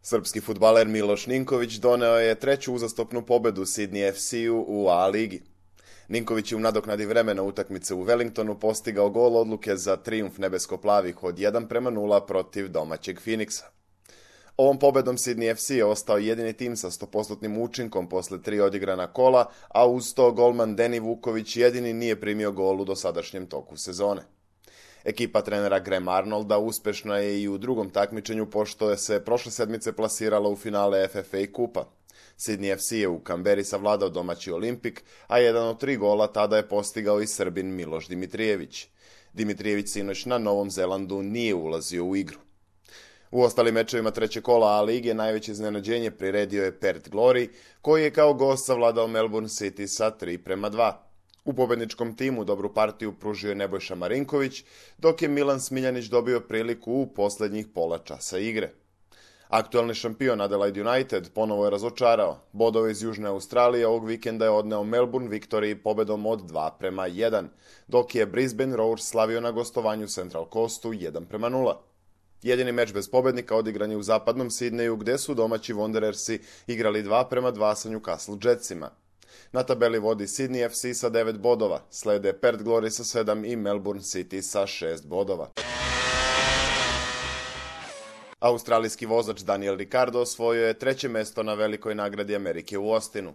Srpski fudbaler Miloš Ninković doneo je treću uzastopnu pobedu Sydney FC-u u A ligi. Ninković je u nadoknadi vremena utakmice u Wellingtonu postigao gol odluke za trijumf nebesko-plavih od 1:0 protiv domaćeg Phoenixa. Ovom pobedom Sydney FC je ostao jedini tim sa 100% učinkom posle 3 odigrana kola, a uz to golman Deni Vuković jedini nije primio gol u dosadašnjem toku sezone. Ekipa trenera Graham Arnolda uspešna je i u drugom takmičenju pošto je se prošle sedmice plasirala u finale FFA kupa. Sydney FC je u Kamberi savladao domaći Olimpik, a jedan od 3 gola tada je postigao i Srbin Miloš Dimitrijević. Dimitrijević sinoć na Novom Zelandu nije ulazio u igru. U ostalim mečevima treće kola A lige najveće iznenađenje priredio je Perth Glory, koji je kao gost savladao Melbourne City sa 3:2. U pobedničkom timu dobru partiju pružio je Nebojša Marinković, dok je Milan Smiljanić dobio priliku u posljednjih pola časa igre. Aktualni šampion Adelaide United ponovo je razočarao. Bodove iz Južne Australije ovog vikenda je odneo Melbourne Victory pobedom od 2:1, dok je Brisbane Roars slavio na gostovanju Central Coastu 1:0. Jedini meč bez pobednika odigran je u zapadnom Sidneju, gde su domaći Wanderersi igrali 2:2 sa Newcastle Jetsima. Na tabeli vodi Sydney FC sa 9 bodova, slede Perth Glory sa 7 i Melbourne City sa 6 bodova. Australijski vozač Daniel Ricciardo osvojio je treće mesto na velikoj nagradi Amerike u Austinu.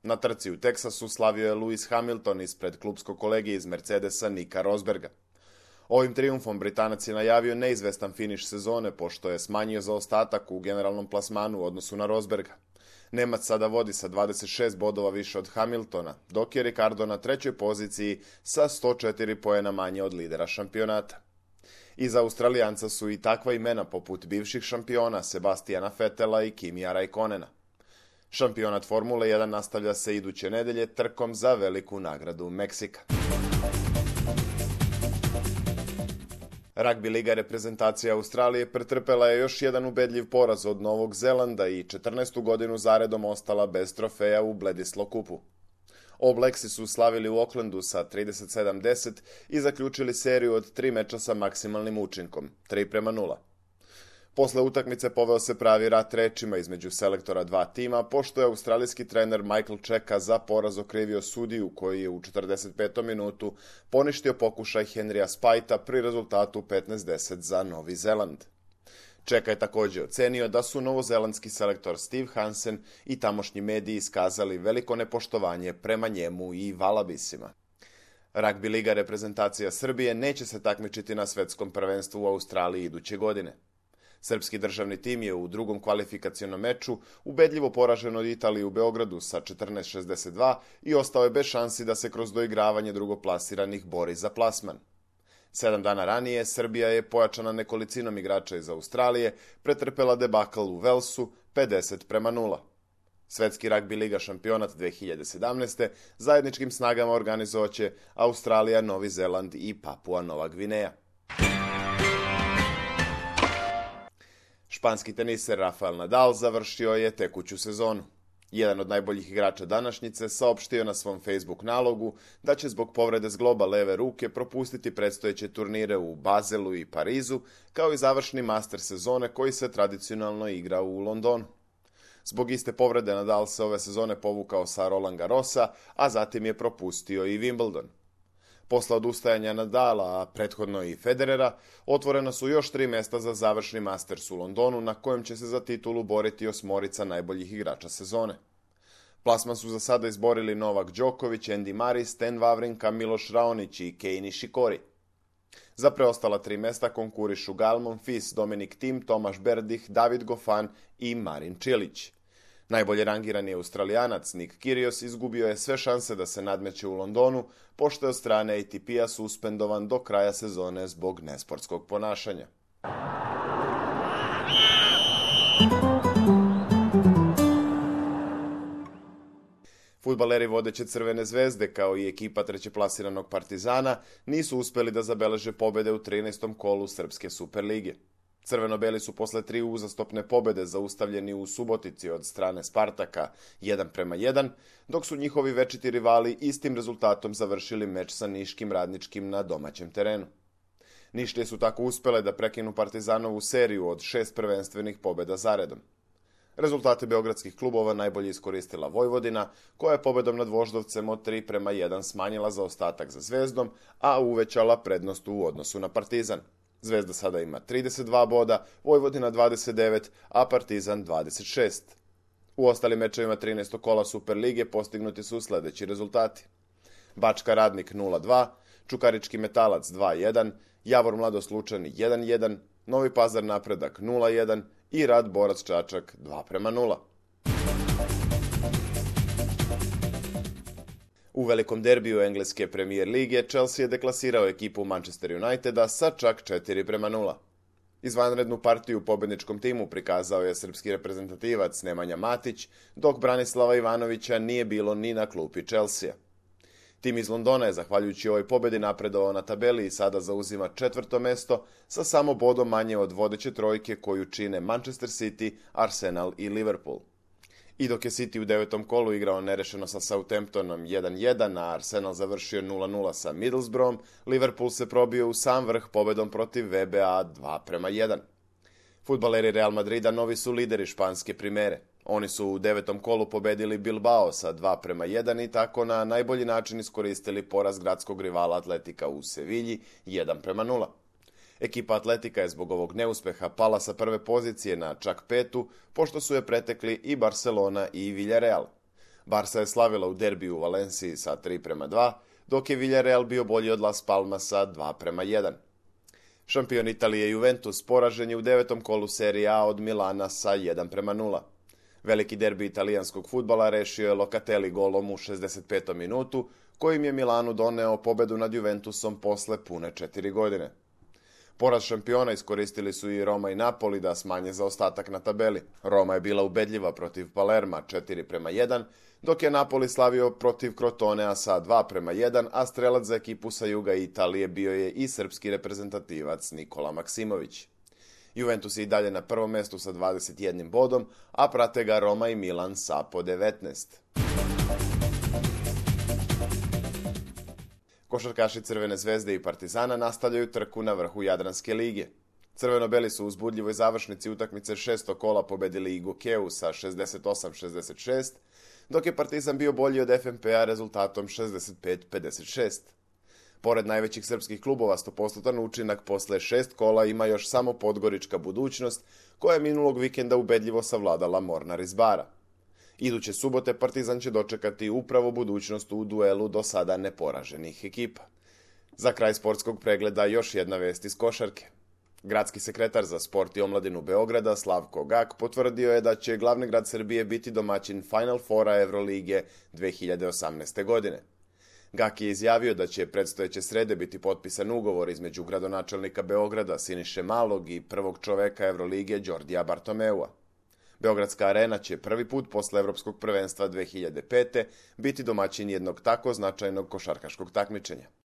Na trci u Teksasu slavio je Lewis Hamilton ispred klubskog kolege iz Mercedesa Nika Rosberga. Ovim trijumfom Britanac je najavio neizvestan finiš sezone pošto je smanjio zaostatak u generalnom plasmanu u odnosu na Rosberga. Nemac sada vodi sa 26 bodova više od Hamiltona, dok je Ricciardo na trećoj poziciji sa 104 poena manje od lidera šampionata. Iza Australijanca su i takva imena poput bivših šampiona Sebastiana Vettela i Kimija Raikkonena. Šampionat Formule 1 nastavlja se iduće nedelje trkom za veliku nagradu Meksika. Ragbi liga reprezentacija Australije pretrpela je još jedan ubedljiv poraz od Novog Zelanda i 14. godinu zaredom ostala bez trofeja u Bledisloe kupu. All Blacksi su slavili u Aucklandu sa 37:10 i zaključili seriju od 3 meča sa maksimalnim učinkom, 3:0. Posle utakmice poveo se pravi rat rečima između selektora dva tima, pošto je australijski trener Michael Cheika za poraz okrivio sudiju koji je u 45. minutu poništio pokušaj Henrya Spajta pri rezultatu 15:10 za Novi Zeland. Cheika je također ocenio da su novozelandski selektor Steve Hansen i tamošnji mediji iskazali veliko nepoštovanje prema njemu i Valabisima. Ragbi liga reprezentacija Srbije neće se takmičiti na svetskom prvenstvu u Australiji iduće godine. Srpski državni tim je u drugom kvalifikacionom meču ubedljivo poražen od Italije u Beogradu sa 14:62 i ostao je bez šansi da se kroz doigravanje drugoplasiranih bori za plasman. 7 dana ranije Srbija je pojačana nekolicinom igrača iz Australije pretrpela debakl u Velsu 50:0. Svetski ragbi liga šampionat 2017. zajedničkim snagama organizovaće Australija, Novi Zeland i Papua Nova Gvineja. Španski teniser Rafael Nadal završio je tekuću sezonu. Jedan od najboljih igrača današnjice saopštio na svom Facebook nalogu da će zbog povrede zgloba leve ruke propustiti predstojeće turnire u Bazelu i Parizu, kao i završni master sezone koji se tradicionalno igra u Londonu. Zbog iste povrede Nadal se ove sezone povukao sa Roland Garrosa, a zatim je propustio i Wimbledon. Posle odustajanja Nadala, a prethodno i Federera, otvorena su još 3 mesta za završni Masters u Londonu, na kojem će se za titulu boriti 8 najboljih igrača sezone. Plasman su za sada izborili Novak Đoković, Andy Murray, Stan Wawrinka, Miloš Raonić i Kei Nishikori. Za preostala 3 mesta konkurišu Gael Monfils, Dominic Thiem, Tomaš Berdych, David Goffin i Marin Cilic. Najbolje rangirani Australijanac Nick Kyrgios izgubio je sve šanse da se nadmeće u Londonu, pošto je od strane ATP-a suspendovan do kraja sezone zbog nesportskog ponašanja. Fudbaleri vodeće Crvene zvezde, kao i ekipa trećeplasiranog Partizana, nisu uspeli da zabeleže pobede u 13. kolu Srpske Superlige. Crveno-beli su posle 3 uzastopne pobede zaustavljeni u Subotici od strane Spartaka 1:1, dok su njihovi večiti rivali istim rezultatom završili meč sa Niškim Radničkim na domaćem terenu. Nišlije su tako uspele da prekinu Partizanovu seriju od 6 prvenstvenih pobeda zaredom. Rezultate beogradskih klubova najbolje iskoristila Vojvodina, koja je pobedom nad Voždovcem od 3:1 smanjila zaostatak za Zvezdom, a uvećala prednost u odnosu na Partizan. Zvezda sada ima 32 boda, Vojvodina 29, a Partizan 26. U ostalim mečevima 13. kola Superlige postignuti su sledeći rezultati. Bačka Radnik 0:2, Čukarički Metalac 2:1, Javor Mladost Lučani 1:1, Novi Pazar Napredak 0:1 i Rad Borac Čačak 2:0. U velikom derbiju engleske Premier lige Chelsea je deklasirao ekipu Manchester Uniteda sa čak 4:0. Izvanrednu partiju u pobedničkom timu prikazao je srpski reprezentativac Nemanja Matić, dok Branislava Ivanovića nije bilo ni na klupi Chelsea. Tim iz Londona je, zahvaljujući ovoj pobedi, napredovao na tabeli i sada zauzima 4. mesto sa samo bodom manje od vodeće trojke koju čine Manchester City, Arsenal i Liverpool. I dok je City u 9. kolu igrao nerešeno sa Southamptonom 1:1, a Arsenal završio 0:0 sa Middlesbroughom, Liverpool se probio u sam vrh pobedom protiv VBA 2:1. Fudbaleri Real Madrida novi su lideri španske primere. Oni su u 9. kolu pobedili Bilbao sa 2:1 i tako na najbolji način iskoristili poraz gradskog rivala Atletika u Sevilji 1:0. Ekipa Atletika je zbog ovog neuspeha pala sa prve pozicije na čak 5., pošto su je pretekli i Barcelona i Villarreal. Barca je slavila u derbiju u Valenciji sa 3:2, dok je Villarreal bio bolji od Las Palmasa 2:1. Šampion Italije Juventus poražen je u 9. kolu Serie A od Milana sa 1:0. Veliki derbi italijanskog fudbala rešio je Locatelli golom u 65. minutu, kojim je Milanu doneo pobedu nad Juventusom posle pune 4 godine. Poraz šampiona iskoristili su i Roma i Napoli da smanje zaostatak na tabeli. Roma je bila ubedljiva protiv Palerma 4:1, dok je Napoli slavio protiv Crotonea sa 2:1, a strelac za ekipu sa juga Italije bio je i srpski reprezentativac Nikola Maksimović. Juventus je i dalje na prvom mestu sa 21 bodom, a prate ga Roma i Milan sa po 19. Košarkaši Crvene zvezde i Partizana nastavljaju trku na vrhu Jadranske lige. Crveno-beli su u uzbudljivoj završnici utakmice 6. kola pobedili i Gokeu sa 68-66, dok je Partizan bio bolji od FNP-a rezultatom 65-56. Pored najvećih srpskih klubova, 100% učinak posle 6 kola ima još samo Podgorička Budućnost, koja je minulog vikenda ubedljivo savladala Mornar iz Bara. Iduće subote Partizan će dočekati upravo Budućnost u duelu do sada neporaženih ekipa. Za kraj sportskog pregleda još jedna vest iz košarke. Gradski sekretar za sport i omladinu Beograda, Slavko Gak, potvrdio je da će glavni grad Srbije biti domaćin Final Fora Evrolige 2018. godine. Gak je izjavio da će predstojeće srede biti potpisan ugovor između gradonačelnika Beograda Siniše Malog i prvog čoveka Evrolige Đordija Bartomeua. Beogradska arena će prvi put posle Evropskog prvenstva 2005. biti domaćin jednog tako značajnog košarkaškog takmičenja.